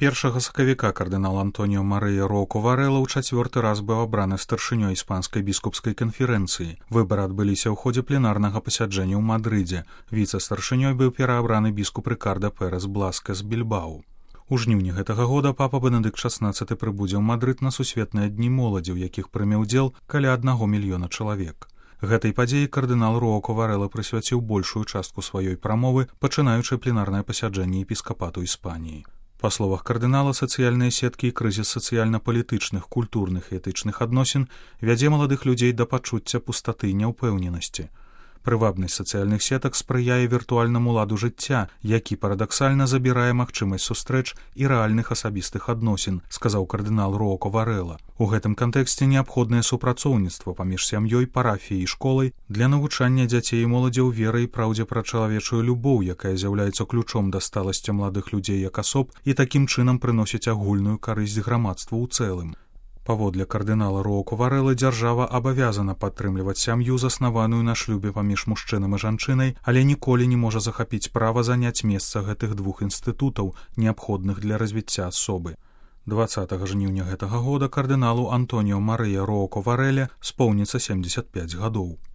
1 сакавіка кардынал Антоніо Марыя Року Варэла ў чацвёрты раз быў абраны старшынёй іспанскай біскупскай канферэнцыі. Выбары адбыліся ў ходзе пленарнага пасяджэння ў Мадрыдзе. Віцэ-старшынёй быў пераабраны біскуп Рикардо Пérez Бласке з Більбау. У жніўні гэтага года папа Бенедыкт XVI прыбудзе ў Мадрыд на сусветныя дні моладзі, у якіх прыме ўдзел каля 1 мільёна чалавек. Гэтай падзеі кардынал Року Варэла прысвяціў большую частку сваёй прамовы, пачынаючы пленарнае пасяджэнне епіскапату Іспаніі. Па словах кардынала, сацыяльныя сеткі і крызіс сацыяльна-палітычных, культурных і этычных адносін вядзе маладых людзей да пачуцця пустаты і няўпэўненасці. Прывабнасць сацыяльных сетак спрыяе віртуальнаму ладу жыцця, які парадаксальна забірае магчымасць сустрэч і рэальных асабістых адносін, сказаў кардынал Року Варэла. У гэтым кантэксце неабходнае супрацоўніцтва паміж сям'ёй, парафіяй і школай для навучання дзяцей і моладзі ў веры і праўдзе пра чалавечую любоў, якая з'яўляецца ключом да сталасці маладых людзей як асоб і такім чынам прыносіць агульную карысць грамадству ў цэлым. Паводле кардынала Року Варэла дзяржава абавязана падтрымліваць сям'ю, заснаваную на шлюбе паміж мужчынам і жанчынай, але ніколі не можа захапіць права заняць месца гэтых двух інстытутаў, неабходных для развіцця асобы. 20 жніўня гэтага года кардыналу Антоніо Марыя Року Варэле споўніцца 75 гадоў.